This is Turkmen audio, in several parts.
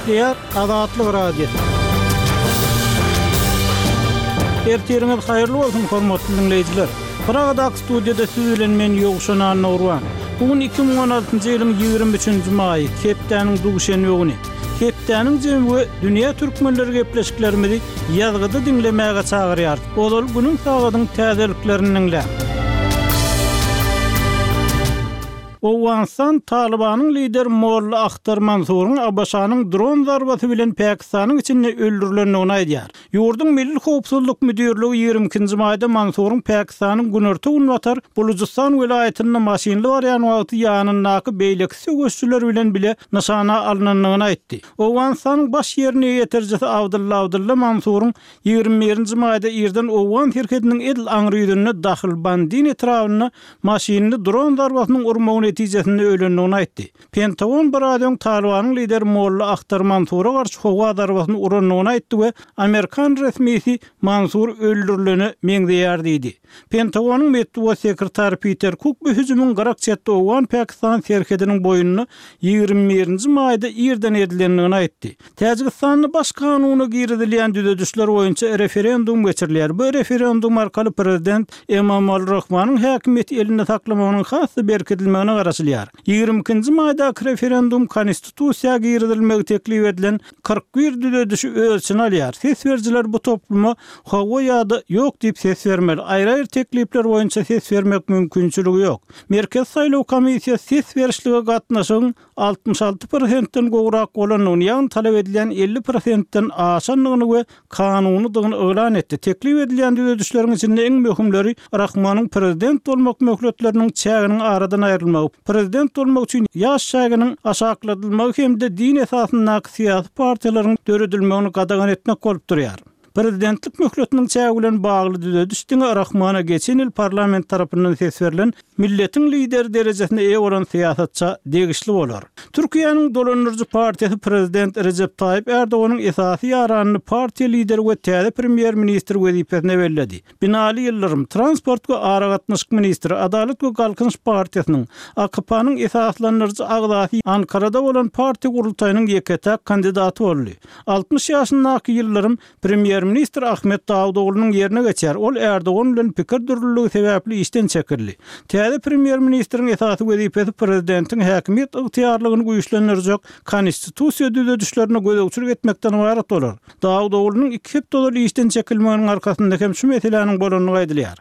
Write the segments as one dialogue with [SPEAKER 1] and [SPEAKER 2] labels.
[SPEAKER 1] Gepleýär Azatlyk Radiosy. Ertiriňiz haýyrly bolsun, hormatly diňleýjiler! Pragadaky studiýada siz bilen men Ýowşan Annagurban. Bu gün 2016-njy ýylyň 23-nji maýy, hepdäniň duşenbe güni. Hepdäniň jemi we dünýä türkmenleri gepleşiklerimizi ýazgyda diňlemäge çagyrýarys. Ozal günüň sagadyň täzeliklerini diňläň. Owganystan Talybanyň lideri Molla Ahtar Mansuryň ABŞ-nyň dron zarbasy bilen Pakistanyň içinde öldürilendigini aýdýar. Ýurduň Milli howpsuzlyk müdirligi 22-nji maýda Mansuryň Pakistanyň günorta-günbatar Bulujystan welaýatynda maşynly barýan wagty ýanyndaky beýleki söweşijiler bilen bile nyşana alnandygyny aýtdy. Owganystanyň baş ýerine ýetirijisi Abdylla Abdylla Mansuryň 21-nji maýda irden owgan serhediniň edil aňry ýüzünde Dahlbandin etrabynda maşynly dron zarbasynyň urmagy netijesinde ölendigini aýtdy. Pentagon biraz öň Talybanyň lideri Molla Ahtar Mansura garşy howa zarbasyny urandygyny aýtdy we amerikan resmisi Mansur öldürilene meňzeýär diýdi. Pentagonyň metbugat sekretary Piter Kuk bu hüjümiň gyrak çetde owgan-pakistan serhediniň boýunda 21-nji maýda irden edilendigini aýtdy. Täjigistanda Baş kanuna girizilýän düzedişler boýunça referendum geçirilýär. Bu referendum arkaly prezident Emomali Rahmanyň häkimiýeti elinde saklamagynyň has-da berkidilmegine garaşylýar. 22-nji maýdaky referendum Konstitusiýa girizilmegi teklip edilen 41 düzedişi öz içine alýar. Ses berijiler bu topluma hawa ýa-da ýok diýip ses bermeli. Aýry-aýry teklipler boýunça ses bermek mümkinçiligi ýok. Merkezi saýlaw komissiýasy ses berişlige gatnaşygyň 66 prosentden gowrak bolandygyny, ýagny talap edilýän 50 prosentden aşandygyny we kanunydygyny yglan etdi. Teklip edilýän düzedişleriň içinde iň möhümleri Rahmonyň prezident bolmak möhletleriniň çäginiň aradan aýrylmagy, prezident bolmak üçin ýaş çäginiň aşakladylmagy hem-de din esasyndaky syýasy partiýalaryň döredilmegini gadagan etmek bolup durýar. Prezidentlik möhletiniň çägi bilen bagly düzediş diňe Rahmana geçen ýyl parlament tarapyndan ses berlen milletiň lideri derejesine eýe bolan syýasatça degişli bolar. Türkiýäniň dolandyryjy partiýasy prezident Rejep Taýyp Erdoganyň esasy ýaranyny partiýa lideri we täze premýer-ministr wezipesine belledi. Binali Ýyldyrym, transport we aragatnaşyk ministri, Adalat we Galkynyş partiýasynyň, AKP-nyň esaslandyryjy agzasy Ankarada bolan partiýa gurultaýynyň ýeke-täk kandidaty boldy. 60 ýaşyndaky Ýyldyrym premýer-ministr Ahmet Dawutoglunyň ýerine geçer. Ol Ärdogan bilen pikir dürlüligi sebäpli işden çekildi. Täze premýer-ministriň esasy wezipesi prezidentiň häkimiýet ygtyýarlygyny güýçlendirjek konstitusiýa düzedişlerine gözegçilik etmekden ybarat bolar. Dawutoglunyň iki hepde ozal işden çekilmeginiň arkasynda hem şu meseläniň bolandygy aýdylýar.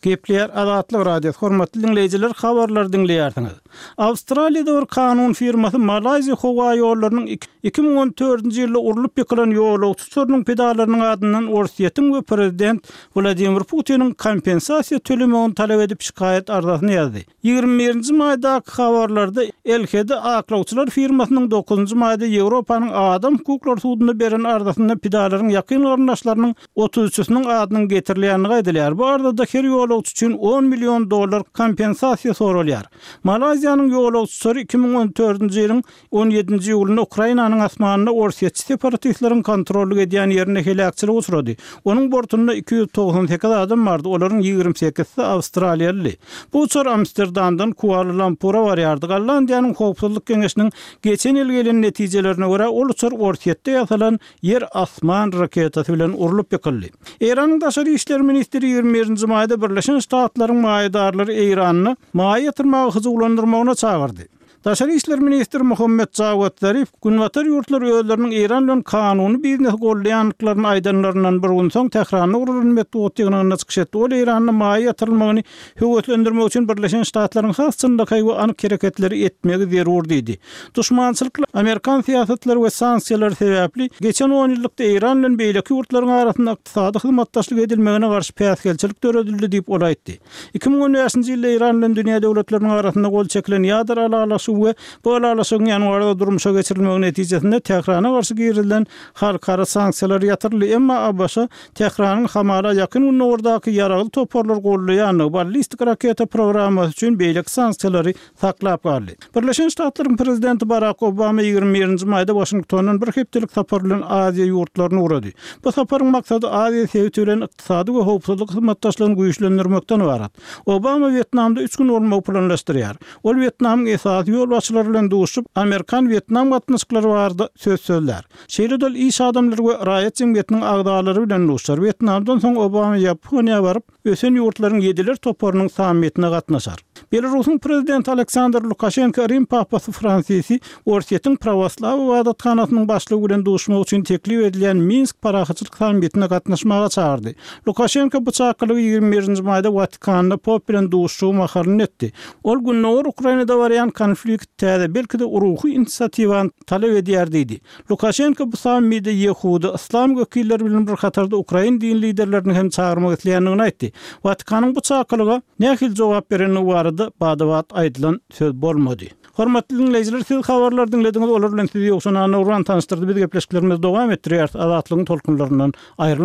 [SPEAKER 1] Gepleýär Azatlyk Radiosy, hormatly diňleýjiler, habarlary diňleýärsiňiz. Awstraliýada bir kanun firmasy Malaýziýa howa ýollarynyň 2014-nji ýylda urlup ýykylan ýolagçy uçarynyň pidalarynyň adyndan Orsýetiň we prezident Wladimir Putiniň kompensasiýa tölemegini talap edip şikaýat arzasyny ýazdy. 21-nji maýdaky habarlarda LHD aklawçylar firmasynyň dokuzynjy maýda Ýewropanyň Adam hukuklary sudunda beren arzasynda pidalaryň ýakyn garyndaşlarynyň otuz üçüsiniň adynyň getirilýändigi aýdylýar. Bu arzada her ýolagçy üçin on million dollar kompensasiýa soralýar. Malaýziýanyň ýolagçy uçary 2014-nji ýylyň On ýedinji iýulynda Ukrainanyň asmanynda orsýetçi separatistleriň kontrollyk edýän ýerinde heläkçilige uçrady. Onuň bortunda 298 adam bardy, olaryň ýigrimi sekizisi awstraliýalydy. Bu uçar Amsterdamdan Kuala-Lumpura barýardy. Gollandiýanyň Howpsuzlyk geňeşiniň geçen ýyl gelen netijelerine görä, ol uçar Orsýetde ýasalan ýer-asman raketasy bilen urlup ýykyldy. Eýranyň daşary işler ministri ýigrimi birinji maýda Birleşen Ştatlaryň maýadarlary Eýranda maýa ýatyrmaga hyjuwlandyrmagyna çagyrdy. Daşary işler ministri Muhammet Jawad Zarif Günbatar ýurtlary özleriniň Eýran bilen kanuny biznesi goldaýandyklaryny aýdanlaryndan bir gün soň Tähranda guralan metbugat ýygnagynda çykyş etdi. Ol Eýranda maýa ýatyrylmagyny höweslendirmek üçin Birleşen Ştatlaryň has çynlakaý we anyk hereketleri etmegi zerur diýdi. Duşmançylykly amerikan syýasatlary we sanksiýalary sebäpli geçen onýyllykda Eýran bilen beýleki ýurtlaryň arasynda ykdysady hyzmatdaşlyk edilmegine garşy päsgelçilik döredildi diýip ol aýtdy. 2015-nji ýylda Eýran bilen dünýä döwletleriniň arasynda gol çekilen ýadro ylalaşygy we bu ylalaşygyň ýanwarda durmuşa geçirilmegi netijesinde Tährana garşy girizilen halkara sanksiýalar ýatyryldy. Emma ABŞ Tähranyň hamala Ýakyn Gündogardaky ýaragly toparlary goldaýandygy, ballistik raketa programmasy üçin beýleki sanksiýalary saklap galdy. Birleşen Ştatlaryň prezidenti Barak Obama 21-nji maýda Waşingtondan bir hepdelik sapar bilen Aziýa ýurtlaryna ugrady. Bu saparyň maksady Aziýa sebiti bilen ykdysady we howpsuzlyk hyzmatdaşlygyny güýçlendirmekden ybarat. Obama Wýetnamda üç gün bolmagy planlaşdyrýar. Ol Wýetnamyň esasy. ýolbaşçylary bilen duşup, amerikan-wýetnam gatnaşyklary barada söz sözlär. Şeýle-de ol iş adamlary we raýat jemgyýetiniň agzalary bilen duşar. Wýetnamdan soň Obama Ýaponiýa baryp, ösen ýurtlaryň ýediler toparynyň sammitine gatnaşar. Belarusyň prezidenti Aleksandr Lukaşenko Rim papasy Fransisi Orsýetiň prawoslaw ybadathanasynyň başlygy bilen duşmak üçin teklip edilýän Minsk parahatçylyk sammitine gatnaşmaga çagyrdy. Lukaşenko bu çakylygy 21 nji maýda Watikanda pop bilen duşuşygy mahalynda etdi. Ol Gündogar Ukrainada barýan konflikt täze, belki-de ruhy inisiatiwany talap edýär diýdi. Lukaşenko bu sammide ýehudy, yslam wekilleri bilen bir hatarda ukrain din liderlerini hem çagyrmak isleýändigini aýtdy. Watikanyň bu çakylyga nähili jogap berendigi barada bada-bat aýdylan söz bolmady. Hormatly diňleýjiler, siz habarlary diňlediňiz, olar bilen sizi Ýowşan Annagurban tanyşdyrdy. Biz gepleşiklerimizi dowam etdirýäris, Azatlygyň tolkunlaryndan aýrylmaň.